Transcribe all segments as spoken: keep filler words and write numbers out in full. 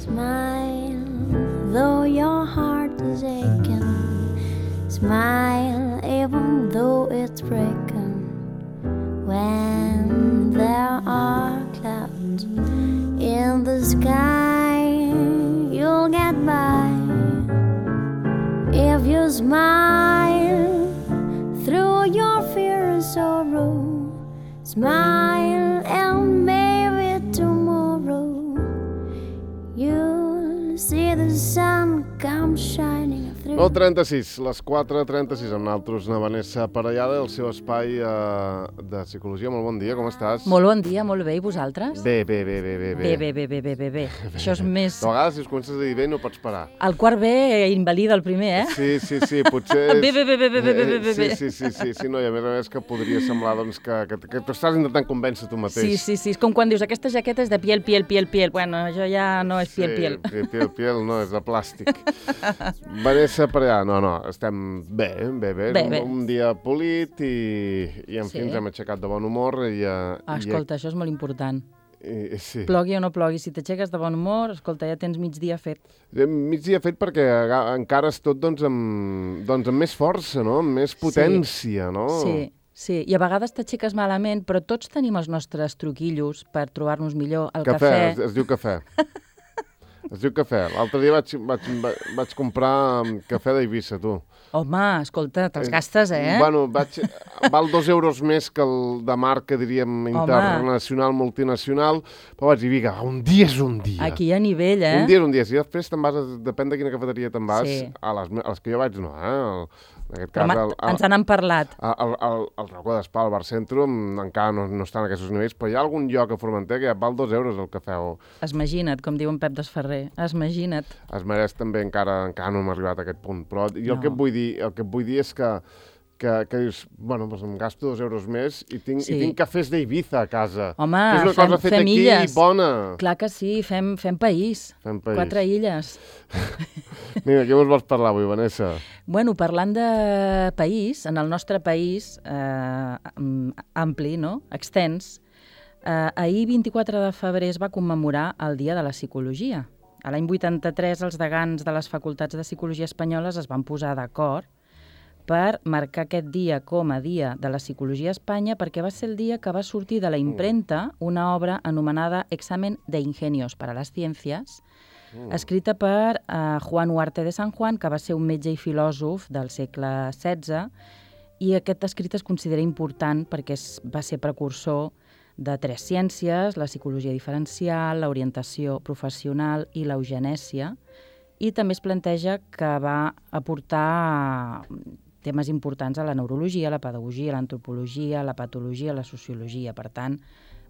Smile, though your heart is aching. Smile, even though it's breaking. When there are clouds in the sky, you'll get by. If you smile through your fear and sorrow, smile and maybe tomorrow you'll see the sun come shining through. nou trenta-sis, les quatre trenta-sis, amb nosaltres na Vanessa Parellada, el seu espai eh, de psicologia. Molt bon dia, com estàs? Molt bon dia, molt bé, i vosaltres? Bé, bé, bé, bé, bé. Bé, bé, bé, bé, bé, bé, bé. Això és més... De vegades, si us comences a dir bé, no pots parar. El quart B invalida el primer, eh? Sí, sí, sí, potser... És... Bé, bé, bé, bé, bé, bé, bé, bé, bé. Sí, sí, sí, sí, no, i a més a més que podria semblar doncs, que, que, que t'estàs intentant convèncer tu mateix. Sí, sí, sí, és com quan dius aquesta jaqueta és de piel, piel, piel, piel. Bueno, això ja no és piel, piel. Sí, piel, piel, no, és de plàstic. Vanessa Parellada, no, no, estem bé, bé, bé. Bé, un, bé. un dia polit i, i en Sí. fi, ens hem aixecat de bon humor. I, uh, Ah, escolta, això és molt important. I, i, sí. Plogui o no plogui, si t'aixeques de bon humor, escolta, ja tens migdia fet. Migdia fet perquè encara és tot doncs, amb, doncs, amb més força, no? Amb més potència, no? Sí, sí, i a vegades t'aixeques malament, però tots tenim els nostres truquillos per trobar-nos millor. El Cafè, cafè... Es, es diu cafè. Es diu cafè. L'altre dia vaig, vaig, vaig comprar cafè d'Eivissa, tu. Home, escolta, te'ls gastes, eh? Bueno, vaig, val dos euros més que el de marca, diríem, internacional, multinacional, però vaig dir, vinga, un dia és un dia. Aquí hi ha nivell, eh? Un dia és un dia. Si després te'n vas, a, depèn de quina cafeteria te'n vas, Sí. a, les, a les que jo vaig no, eh? El, en aquest Però cas, ma- el, el, ens n'han parlat. el, el, el Racó d'Espà, al Bar Centro, encara no, no està en aquests nivells, però hi ha algun lloc a Formentera que ja val dos euros el cafè, o Esmagina't, com diu en Pep Desferrer. Esmagina't. es mereix també, encara, encara no hem arribat a aquest punt. Però jo el, No. que et vull dir, el que et vull dir és que, que, que dius, bueno, doncs em gasto dos euros més i tinc, Sí. i tinc cafès d'Eivissa a casa. Home, que és una fem- cosa feta fem aquí, illes. bona. Clar que sí, fem, fem país. Fem país. Quatre illes. Mira, què ens vols parlar avui, Vanessa? Bueno, parlant de país, en el nostre país eh, am- ampli, no? Extens, eh, ahir vint-i-quatre de febrer es va commemorar el Dia de la Psicologia. A l'any vuitanta-tres, els degans de les facultats de Psicologia espanyoles es van posar d'acord per marcar aquest dia com a Dia de la Psicologia a Espanya, perquè va ser el dia que va sortir de la impremta una obra anomenada Examen de Ingenios para las Ciencias, escrita per uh, Juan Huarte de San Juan, que va ser un metge i filòsof del segle setze, i aquest escrit es considera important perquè es, va ser precursor de tres ciències, la psicologia diferencial, l'orientació professional i l'eugenèsia, i també es planteja que va aportar temes importants a la neurologia, la pedagogia, l'antropologia, la patologia, la sociologia. Per tant,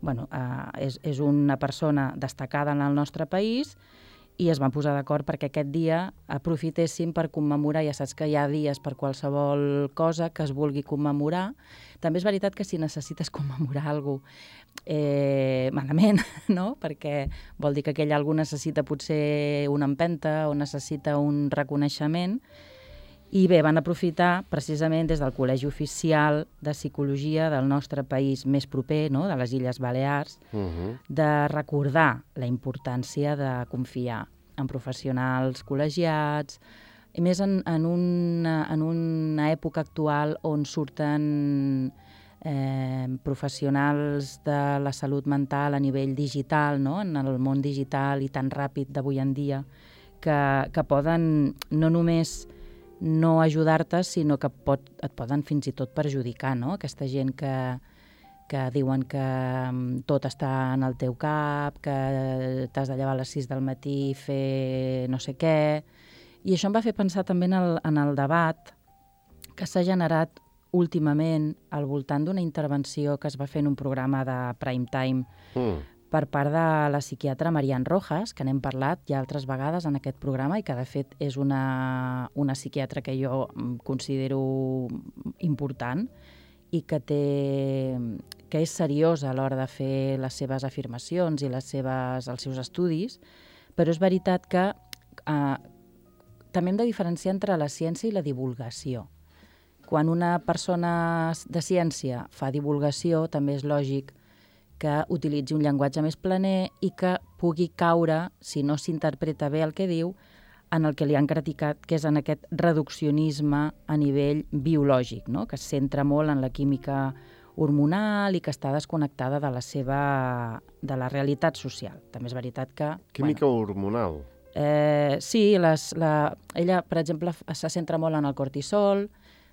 bueno, eh, és, és una persona destacada en el nostre país i es van posar d'acord perquè aquest dia aprofitéssim per commemorar, ja saps que hi ha dies per qualsevol cosa que es vulgui commemorar. També és veritat que si necessites commemorar alguna cosa eh, malament, no? Perquè vol dir que aquell algú necessita potser una empenta o necessita un reconeixement. I bé, van aprofitar precisament des del Col·legi Oficial de Psicologia del nostre país més proper, no? De les Illes Balears, Uh -huh. de recordar la importància de confiar en professionals col·legiats, i més en, en, una, en una època actual on surten eh, professionals de la salut mental a nivell digital, no? En el món digital i tan ràpid d'avui en dia, que, que poden no només no ajudar-te, sinó que pot, et poden fins i tot perjudicar, no? Aquesta gent que, que diuen que um, tot està en el teu cap, que t'has de llevar a les sis del matí i fer no sé què. I això em va fer pensar també en el, en el debat que s'ha generat últimament al voltant d'una intervenció que es va fer en un programa de prime time Mm. per part de la psiquiatra Marian Rojas, que n'hem parlat ja altres vegades en aquest programa i que, de fet, és una, una psiquiatra que jo considero important i que, té, que és seriosa a l'hora de fer les seves afirmacions i les seves, els seus estudis, però és veritat que eh, també hem de diferenciar entre la ciència i la divulgació. Quan una persona de ciència fa divulgació, també és lògic que utilitzi un llenguatge més planer i que pugui caure, si no s'interpreta bé el que diu, en el que li han criticat, que és en aquest reduccionisme a nivell biològic, no? Que es centra molt en la química hormonal i que està desconnectada de la seva de la realitat social. També és veritat que... Química bueno, hormonal. Eh, sí, les, la, ella, per exemple, se centra molt en el cortisol,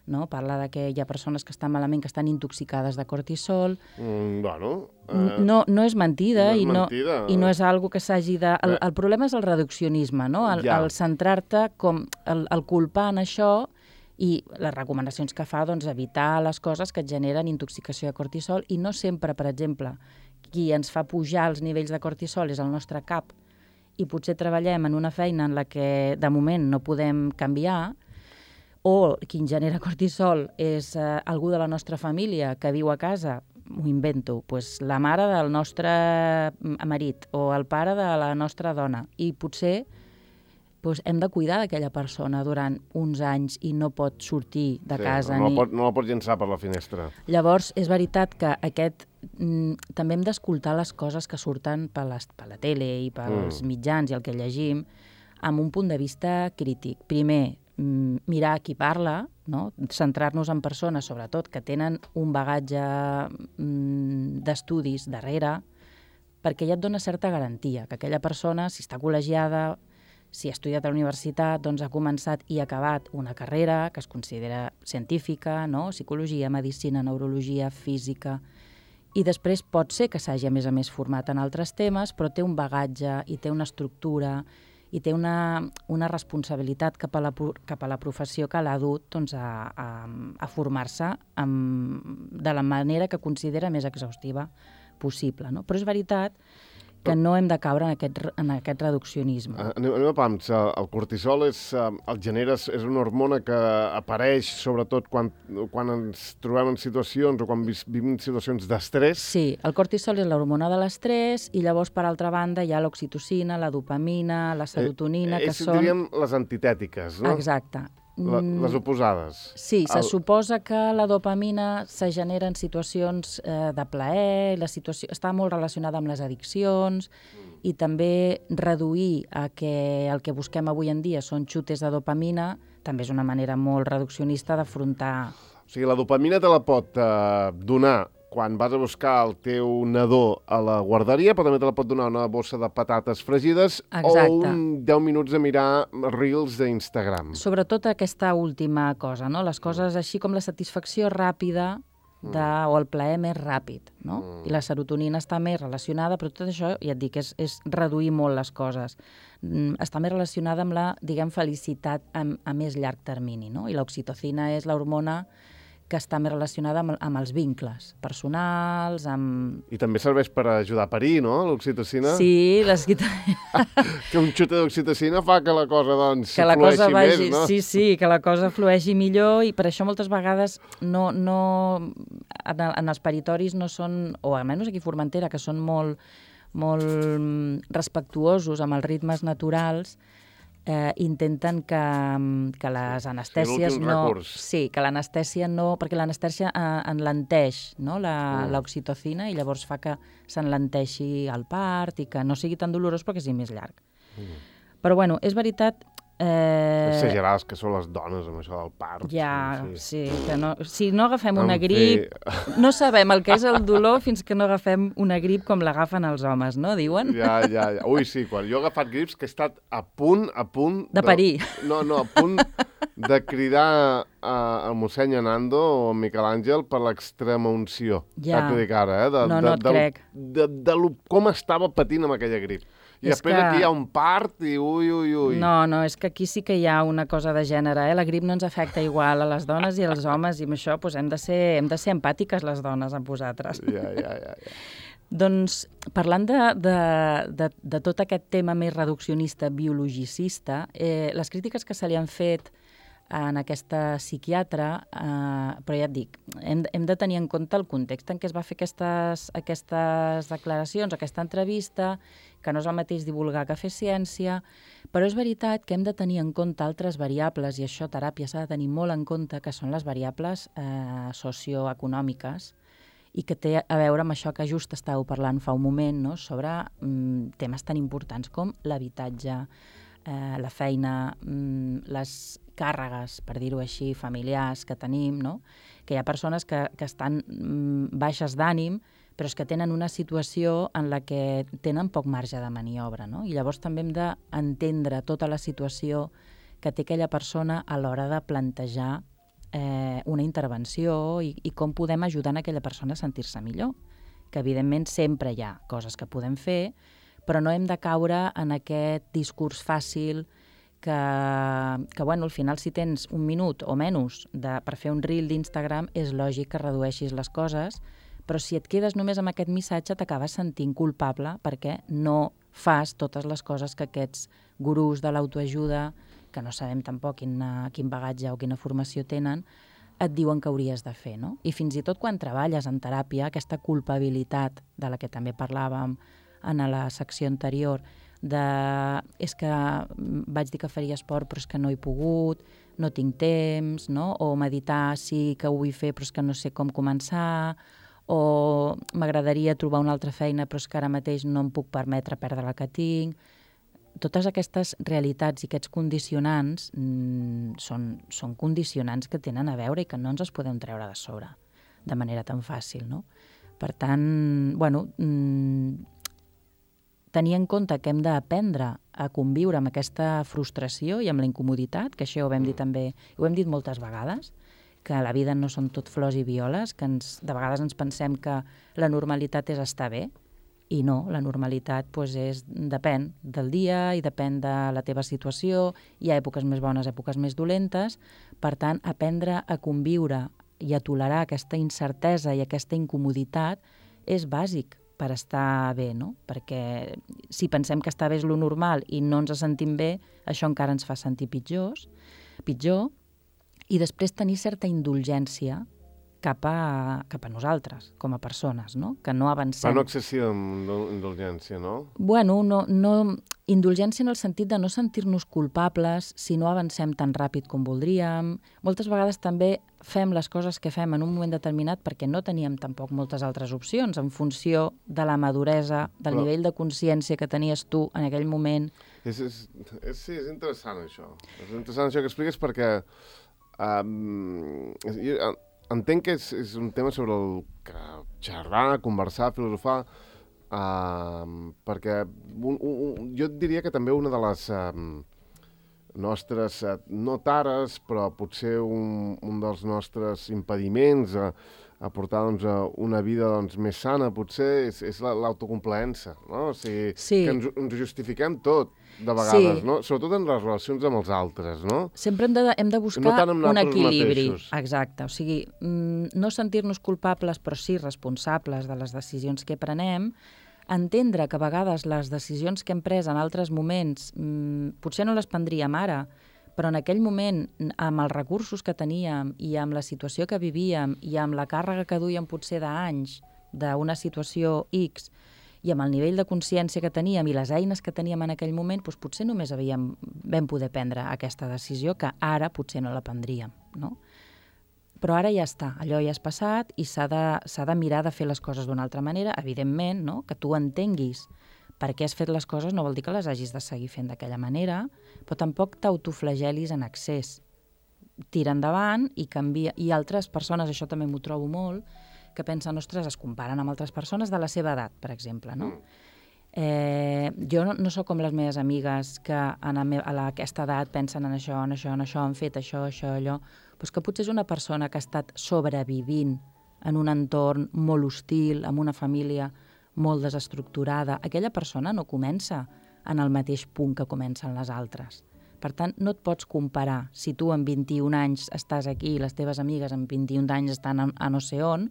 no? Parla de que hi ha persones que estan malament, que estan intoxicades de cortisol. Mm, bueno... Eh, no, no és mentida, no és i, no, mentida. i no és algo que s'hagi de... El, el problema és el reduccionisme, no? El, ja. el centrar-te com... El, el culpar en això i les recomanacions que fa, doncs, evitar les coses que et generen intoxicació de cortisol i no sempre, per exemple, qui ens fa pujar els nivells de cortisol és el nostre cap i potser treballem en una feina en la que de moment no podem canviar, o qui ens genera cortisol és eh, algú de la nostra família que viu a casa, m'ho invento, pues, la mare del nostre marit o el pare de la nostra dona, i potser pues, hem de cuidar d'aquella persona durant uns anys i no pot sortir de sí, casa. No, ni... la pot, no la pot llençar per la finestra. Llavors, és veritat que aquest mm, també hem d'escoltar les coses que surten per, les, per la tele i pels mm. mitjans i el que llegim amb un punt de vista crític. Primer, mm, mirar qui parla, no? Centrar-nos en persones, sobretot, que tenen un bagatge mm, d'estudis darrere, perquè ja et dona certa garantia, que aquella persona, si està col·legiada, si ha estudiat a la universitat, doncs ha començat i ha acabat una carrera que es considera científica, no? Psicologia, medicina, neurologia, física, i després pot ser que s'hagi, a més a més, format en altres temes, però té un bagatge i té una estructura i té una, una responsabilitat cap a, la, cap a la professió que l'ha dut doncs, a, a, a formar-se de la manera que considera més exhaustiva possible. No? Però és veritat que no hem de caure en aquest, en aquest reduccionisme. Uh, anem, anem a pams. Uh, el cortisol és, uh, el genera, és una hormona que apareix sobretot quan, quan ens trobem en situacions o quan vivim situacions d'estrès. Sí, el cortisol és l'hormona de l'estrès i llavors, per altra banda, hi ha l'oxitocina, la dopamina, la serotonina, eh, que són... diríem les antitètiques, no? Exacte. La, les oposades. Sí, se el... suposa que la dopamina se genera en situacions eh, de plaer, la situació està molt relacionada amb les addiccions mm. i també reduir a que el que busquem avui en dia són xutes de dopamina també és una manera molt reduccionista d'afrontar... O sigui, la dopamina te la pot eh, donar quan vas a buscar el teu nadó a la guarderia, però també te la pot donar una bossa de patates fregides. Exacte. O un deu minuts de mirar reels d'Instagram. Sobretot aquesta última cosa, no? Les coses així com la satisfacció ràpida de, mm. o el plaer més ràpid, no? Mm. I la serotonina està més relacionada, però tot això, ja et dic, és, és reduir molt les coses. Mm, està més relacionada amb la, diguem, felicitat a, a més llarg termini, no? I l'oxitocina és l'hormona que està més relacionada amb, amb els vincles personals, amb... I també serveix per ajudar a parir, no?, l'oxitocina? Sí, les... que un xute d'oxitocina fa que la cosa, doncs, que la flueixi cosa vagi... més, no? Sí, sí, que la cosa flueixi millor i per això moltes vegades no, no, en, en els paritoris no són, o almenys aquí a Formentera, que són molt, molt respectuosos amb els ritmes naturals, Eh, intenten que, que les anestèsies sí, no... recurs. Sí, que l'anestèsia no... Perquè l'anestèsia eh, enlenteix, no?, l'oxitocina mm. i llavors fa que s'enlenteixi el part i que no sigui tan dolorós perquè sigui més llarg. Mm. Però, bueno, és veritat... Eh... Exagerades que són les dones amb això del part. Ja, sí, sí que no, si no agafem una en grip, fi... no sabem el que és el dolor fins que no agafem una grip com l'agafen els homes, no, diuen? Ja, ja, ja. Ui, sí, quan jo he agafat grips que he estat a punt, a punt... De parir. De... No, no, a punt de cridar a, a mossèn Anando o a Miquel Àngel per l'extrema unció. Ja. T'ho dic ara, eh? De, no, de, no et de, crec. De, de, de, de com estava patint amb aquella grip. I és després que... aquí hi ha un part i ui, ui, ui. No, no, és que aquí sí que hi ha una cosa de gènere, eh? La grip no ens afecta igual a les dones i als homes i amb això doncs, hem, de ser, hem de ser empàtiques les dones amb vosaltres. Ja, ja, ja. ja. Doncs parlant de, de, de, de tot aquest tema més reduccionista, biologicista, eh, les crítiques que se li han fet en aquesta psiquiatra, eh, però ja et dic, hem, hem de tenir en compte el context en què es va fer aquestes, aquestes declaracions, aquesta entrevista, que no és el mateix divulgar que fer ciència, però és veritat que hem de tenir en compte altres variables, i això teràpia s'ha de tenir molt en compte, que són les variables eh, socioeconòmiques i que té a veure amb això que just estàveu parlant fa un moment, no? Sobre mm, temes tan importants com l'habitatge, eh, la feina, mm, les càrregues, per dir-ho així, familiars que tenim, no? Que hi ha persones que, que estan mm, baixes d'ànim, però és que tenen una situació en la que tenen poc marge de maniobra, no? I llavors també hem d'entendre tota la situació que té aquella persona a l'hora de plantejar eh, una intervenció i, i com podem ajudar en aquella persona a sentir-se millor. Que evidentment sempre hi ha coses que podem fer, però no hem de caure en aquest discurs fàcil que, que bueno, al final si tens un minut o menys de, per fer un reel d'Instagram és lògic que redueixis les coses, però si et quedes només amb aquest missatge t'acabes sentint culpable perquè no fas totes les coses que aquests gurús de l'autoajuda, que no sabem tampoc quina, quin bagatge o quina formació tenen, et diuen que hauries de fer, no? I fins i tot quan treballes en teràpia, aquesta culpabilitat de la que també parlàvem en la secció anterior, de és que vaig dir que faria esport però és que no he pogut, no tinc temps, no? O meditar sí que ho vull fer però és que no sé com començar, o m'agradaria trobar una altra feina però és que ara mateix no em puc permetre perdre la que tinc. Totes aquestes realitats i aquests condicionants mmm, són, són condicionants que tenen a veure i que no ens els podem treure de sobre de manera tan fàcil, no? Per tant, bueno, mmm, tenir en compte que hem d'aprendre a conviure amb aquesta frustració i amb la incomoditat, que això ho vam dir també, ho hem dit moltes vegades, que la vida no són tot flors i violes, que ens, de vegades ens pensem que la normalitat és estar bé, i no, la normalitat pues, és, depèn del dia i depèn de la teva situació, hi ha èpoques més bones, èpoques més dolentes, per tant, aprendre a conviure i a tolerar aquesta incertesa i aquesta incomoditat és bàsic per estar bé, no? Perquè si pensem que estar bé és lo normal i no ens sentim bé, això encara ens fa sentir pitjors, pitjor, i després tenir certa indulgència cap a, cap a nosaltres, com a persones, no? Que no avancem. Però no excessiva indulgència, no? Bueno, no, no, indulgència en el sentit de no sentir-nos culpables si no avancem tan ràpid com voldríem. Moltes vegades també fem les coses que fem en un moment determinat perquè no teníem tampoc moltes altres opcions en funció de la maduresa, del Però... nivell de consciència que tenies tu en aquell moment. És, és, és, sí, és interessant això. És interessant això que expliques perquè um, jo, entenc que és, és un tema sobre el que xerrar, conversar, filosofar, uh, perquè un, un, jo diria que també una de les uh, nostres, uh, no tares, però potser un, un dels nostres impediments a, a portar doncs, a una vida doncs, més sana, potser, és, és l'autocomplaença, no? O sigui, sí. que ens, ens justifiquem tot, de vegades, sí. No? Sobretot en les relacions amb els altres, no? Sempre hem de, hem de buscar no un equilibri. Mateixos. Exacte, o sigui, no sentir-nos culpables, però sí responsables de les decisions que prenem, entendre que a vegades les decisions que hem pres en altres moments mmm, potser no les prendríem ara, però en aquell moment, amb els recursos que teníem i amb la situació que vivíem i amb la càrrega que duíem potser d'anys d'una situació X, i amb el nivell de consciència que teníem i les eines que teníem en aquell moment, doncs potser només havíem, vam poder prendre aquesta decisió que ara potser no la prendríem, no? Però ara ja està, allò ja és passat i s'ha de, s'ha de mirar de fer les coses d'una altra manera, evidentment, no? Que tu entenguis per què has fet les coses no vol dir que les hagis de seguir fent d'aquella manera, però tampoc t'autoflagelis en excés. Tira endavant i canvia. I altres persones, això també m'ho trobo molt, que pensen, ostres, es comparen amb altres persones de la seva edat, per exemple, no? Eh, jo no, no sóc com les meves amigues que en a, me, a la, aquesta edat pensen en això, en això, en això, han fet això, això, allò, però que potser és una persona que ha estat sobrevivint en un entorn molt hostil, amb una família molt desestructurada. Aquella persona no comença en el mateix punt que comencen les altres. Per tant, no et pots comparar. Si tu amb vint-i-un anys estàs aquí i les teves amigues amb vint-i-un anys estan a, a no sé on,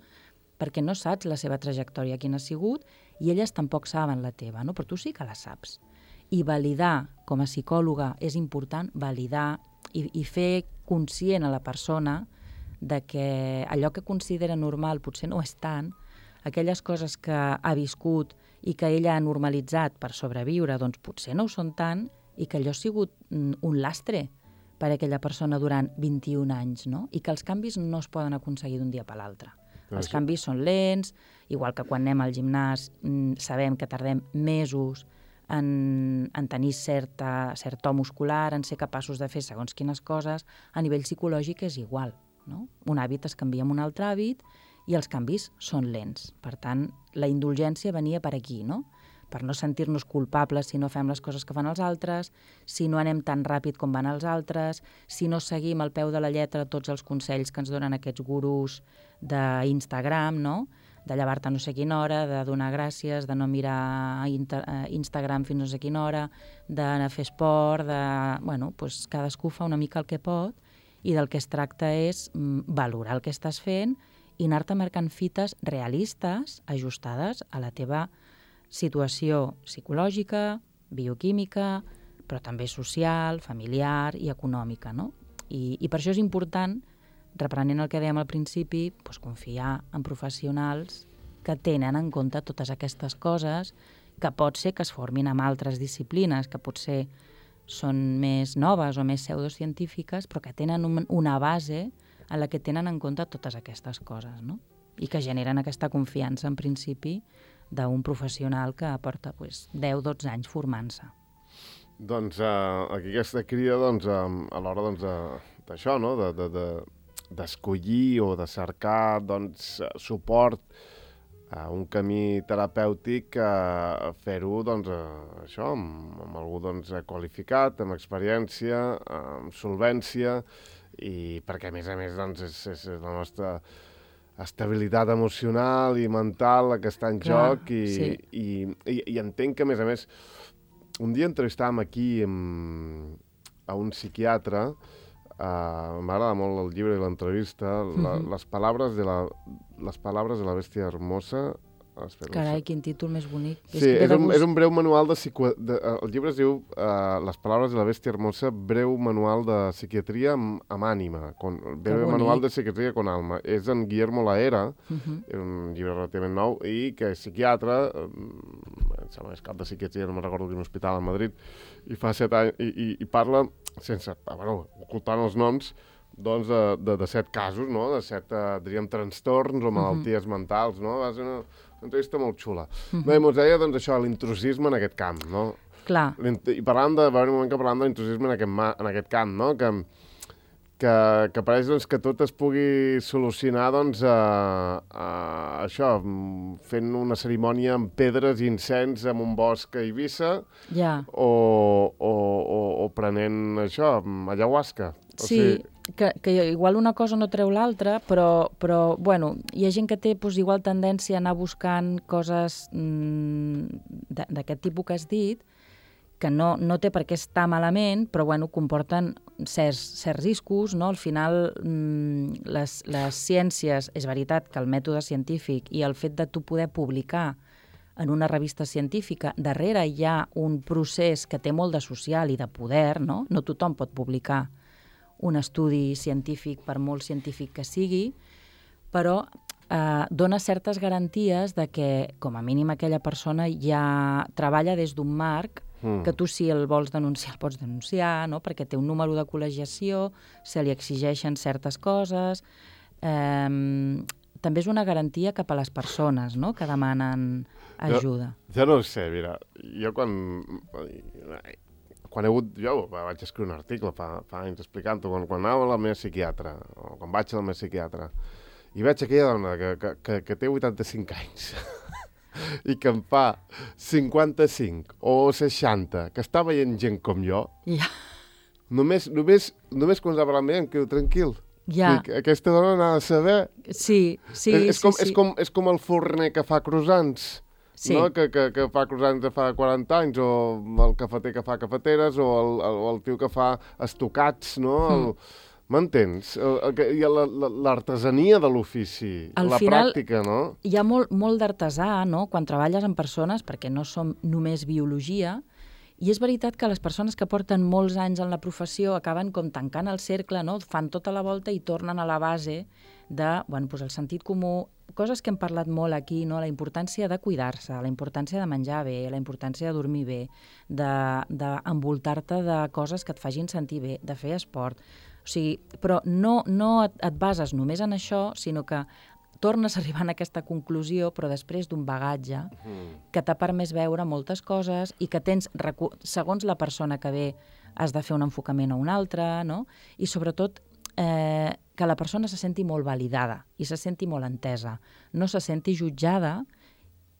perquè no saps la seva trajectòria, quina ha sigut, i elles tampoc saben la teva, no? Però tu sí que la saps. I validar, com a psicòloga, és important validar i, i fer conscient a la persona de que allò que considera normal potser no és tant, aquelles coses que ha viscut i que ella ha normalitzat per sobreviure, doncs potser no ho són tant i que allò ha sigut un lastre per a aquella persona durant vint-i-un anys, no? I que els canvis no es poden aconseguir d'un dia per l'altre. Els canvis són lents, igual que quan anem al gimnàs sabem que tardem mesos en, en tenir certa, cert to muscular, en ser capaços de fer segons quines coses, a nivell psicològic és igual. No? Un hàbit es canvia amb un altre hàbit i els canvis són lents. Per tant, la indulgència venia per aquí, no? Per no sentir-nos culpables si no fem les coses que fan els altres, si no anem tan ràpid com van els altres, si no seguim al peu de la lletra tots els consells que ens donen aquests gurus d'Instagram, no? De llevar-te a no sé quina hora, de donar gràcies, de no mirar Instagram fins no sé quina hora, d'anar a fer esport, de... Bueno, doncs cadascú fa una mica el que pot i del que es tracta és valorar el que estàs fent i anar-te marcant fites realistes, ajustades a la teva situació psicològica, bioquímica, però també social, familiar i econòmica, no? I, i per això és important, reprenent el que dèiem al principi, doncs confiar en professionals que tenen en compte totes aquestes coses, que pot ser que es formin amb altres disciplines, que potser són més noves o més pseudocientífiques, però que tenen un, una base en la que tenen en compte totes aquestes coses, no? I que generen aquesta confiança, en principi, d'un professional que porta pues, deu dotze anys formant-se. Doncs uh, aquí aquesta crida doncs, uh, a l'hora doncs, d'això, no? de, de, de, d'escollir o de cercar doncs, suport a un camí terapèutic, a fer-ho doncs, uh, això, amb, amb algú doncs, qualificat, amb experiència, amb solvència, i perquè a més a més doncs, és, és la nostra estabilitat emocional i mental la que està en Clar, joc i, sí. i, i, i entenc que a més a més un dia entrevistàvem aquí amb, a un psiquiatre, uh, m'agrada molt el llibre i l'entrevista, la, mm-hmm. les paraules de la les paraules de la bèstia hermosa. Espera, Carai, quin títol més bonic. Sí, és, és, un, és un breu manual de, psico... de... El llibre es diu uh, Les paraules de la bèstia hermosa, breu manual de psiquiatria amb, amb ànima. Con... Breu manual de psiquiatria con alma. És en Guillermo Laera, uh-huh. és un llibre relativament nou, i que és psiquiatre, em sembla que és cap de psiquiatria, no me'n recordo quin hospital a Madrid, i fa set anys, i, i, i parla, sense, bueno, ocultant els noms, doncs de, de, de set casos, no? De set, uh, diríem, trastorns o malalties uh-huh. mentals, no? Va ser una, una entrevista molt xula. Uh-huh. Bé, mos deia, doncs, això, l'intrusisme en aquest camp, no? Clar. I parlant de, va haver un moment que parlant de l'intrusisme en, aquest, en aquest camp, no? Que, que, que pareix, doncs, que tot es pugui solucionar, doncs, a, a, això, fent una cerimònia amb pedres i incens en un bosc a Eivissa, ja. o, o, o, o prenent, això, ayahuasca. O sí, sigui... que, que igual una cosa no treu l'altra, però, però bueno, hi ha gent que té pues, igual tendència a anar buscant coses mmm, d'aquest tipus que has dit, que no, no té per què estar malament, però bueno, comporten certs, certs riscos, no? Al final, mmm, les, les ciències, és veritat que el mètode científic i el fet de tu poder publicar en una revista científica, darrere hi ha un procés que té molt de social i de poder, no? No tothom pot publicar un estudi científic, per molt científic que sigui, però eh, dona certes garanties de que, com a mínim, aquella persona ja treballa des d'un marc mm. que tu, si el vols denunciar, el pots denunciar, no? Perquè té un número de col·legiació, se li exigeixen certes coses. Eh, també és una garantia cap a les persones, no?, que demanen ajuda. Jo, jo no ho sé, mira, jo quan... Quan he hagut, jo vaig escriure un article fa, fa anys explicant-ho, quan, quan anava a la meva psiquiatra, o quan vaig a la meva psiquiatra, i veig aquella dona que, que, que, que té vuitanta-cinc anys i que em fa cinquanta-cinc o seixanta, que està veient gent com jo, ja. només, només, només quan s'ha parlat amb ella em quedo tranquil. Ja. Dic, aquesta dona n'ha de saber. Sí, sí, és, és, sí, com, sí. És, com, és com el forner que fa croissants. Sí. No? Que, que, que fa croissants de fa quaranta anys, o el cafeter que fa cafeteres, o el, el, el tio que fa estocats, no? El, m'entens? L'artesania de l'ofici, la final, pràctica, no? Hi ha molt, molt d'artesà, no?, quan treballes amb persones, perquè no som només biologia, i és veritat que les persones que porten molts anys en la professió acaben com tancant el cercle, no?, fan tota la volta i tornen a la base de, bueno, doncs el sentit comú, coses que hem parlat molt aquí, no?, la importància de cuidar-se, la importància de menjar bé, la importància de dormir bé, d'envoltar-te de coses que et facin sentir bé, de fer esport. O sigui, però no, no et, et bases només en això, sinó que tornes arribant a aquesta conclusió, però després d'un bagatge que t'ha permès veure moltes coses i que tens, segons la persona que ve, has de fer un enfocament o un altre, no? I sobretot eh, que la persona se senti molt validada i se senti molt entesa, no se senti jutjada,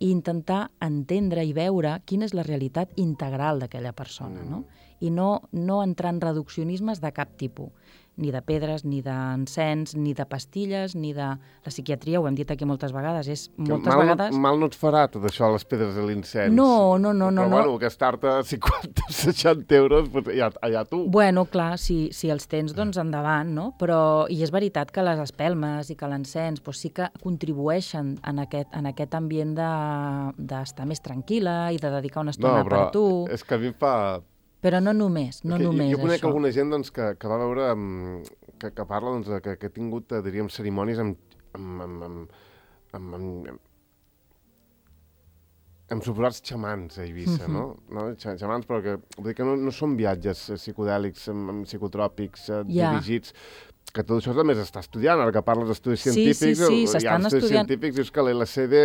i intentar entendre i veure quina és la realitat integral d'aquella persona, no? I no, no entrar en reduccionismes de cap tipus, ni de pedres, ni d'encens, ni de pastilles, ni de... La psiquiatria, ho hem dit aquí moltes vegades, és moltes mal, vegades... Mal no et farà tot això, les pedres de l'encens. No, no, no. Però no, bueno, no. gastar-te cinquanta o seixanta euros, pues, allà, allà tu. Bueno, clar, si, si els tens, doncs endavant, no? Però, i és veritat que les espelmes i que l'encens pues, sí que contribueixen en aquest, en aquest ambient d'estar de, més tranquil·la i de dedicar una estona no, però per tu. És que a mi em fa... Però no només, no que només jo, jo conec això. alguna gent doncs, que, que va veure, que, que parla doncs, que, que ha tingut, diríem, cerimònies amb, amb, amb, amb, amb, amb, amb suposats xamans a Eivissa, uh-huh. no? no? Xamans, però que, vull dir que no, no són viatges psicodèlics, amb, amb psicotròpics uh, yeah. dirigits, que tot això també s'està estudiant, ara que parles d'estudis sí, científics, sí, sí, hi ha s'estan estudis estudiant. científics, dius que l'L S D,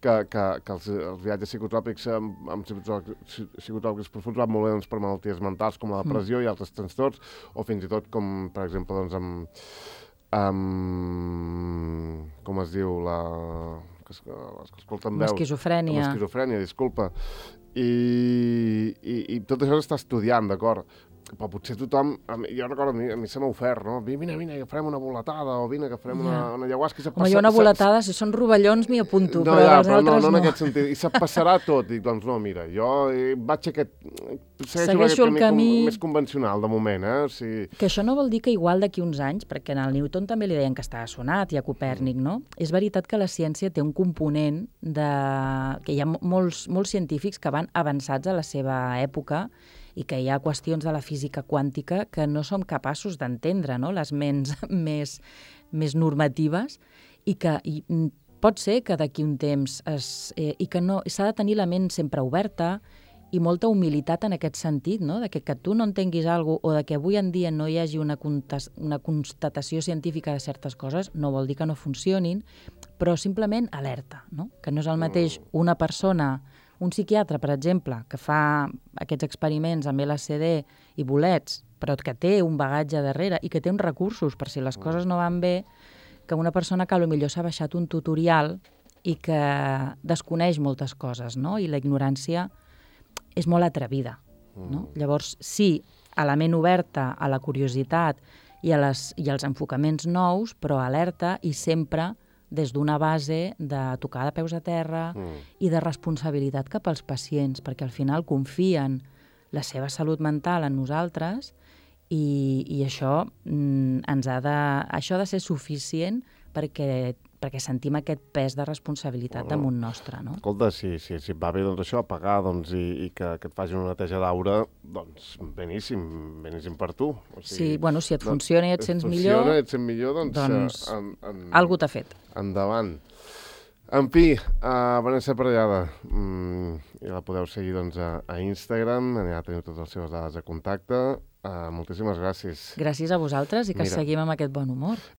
que, que, que els, els viatges psicotròpics amb, amb psicotròpics, psicotròpics profuns van molt bé doncs, per malalties mentals com la depressió mm. i altres trastorns, o fins i tot com, per exemple, doncs, amb, amb com es diu, la... que es, les que escolten veus. L'esquizofrènia. L'esquizofrènia, disculpa. I, i, i tot això s'està estudiant, d'acord? Però potser tothom... Jo recordo, a mi, a mi se m'ha ofert, no? Vine, vine, que farem una boletada, o vine, que farem una, una ayahuasca. Home, jo una boletada, si són rovellons m'hi apunto, no, però ja, els però altres no. No, no. en aquest sentit. I se't passarà tot. Dic, doncs no, mira, jo vaig aquest... Segueixo, Segueixo aquest el camí... camí més convencional, de moment, eh? O sigui... Que això no vol dir que igual d'aquí uns anys, perquè en el Newton també li deien que estava sonat, i a Copèrnic, no? És veritat que la ciència té un component de... que hi ha molts, molts científics que van avançats a la seva època i que hi ha qüestions de la física quàntica que no som capaços d'entendre, no? Les ments més, més normatives, i que i, pot ser que d'aquí un temps es, eh, i que no s'ha de tenir la ment sempre oberta i molta humilitat en aquest sentit, no? De que, que tu no entenguis alguna cosa o de que avui en dia no hi hagi una, una constatació científica de certes coses no vol dir que no funcionin, però simplement alerta, no? Que no és el mateix una persona... Un psiquiatre, per exemple, que fa aquests experiments amb L S D i bolets, però que té un bagatge darrere i que té uns recursos per si les coses no van bé, que una persona que potser s'ha baixat un tutorial i que desconeix moltes coses, no? I la ignorància és molt atrevida, no? Llavors, sí, a la ment oberta, a la curiositat i, a les, i als enfocaments nous, però alerta i sempre des d'una base de tocar de peus a terra mm. i de responsabilitat cap als pacients, perquè al final confien la seva salut mental en nosaltres i, i això, mm, ens ha de, això ha de ser suficient perquè, perquè sentim aquest pes de responsabilitat bueno, damunt nostre, no? Escolta, si, si, si et va bé doncs, això, pagar doncs, i, i que, que et facin una neteja d'aura, doncs beníssim, beníssim per tu. O sigui, sí, bueno, si et doncs, funciona i et sents funciona, millor, et sents millor, doncs, doncs en, en, algú t'ha fet. Endavant. En fi, uh, Vanessa Parellada, mm, ja la podeu seguir doncs, a, a Instagram, allà teniu totes les seves dades de contacte. Uh, moltíssimes gràcies. Gràcies a vosaltres i que Mira. seguim amb aquest bon humor.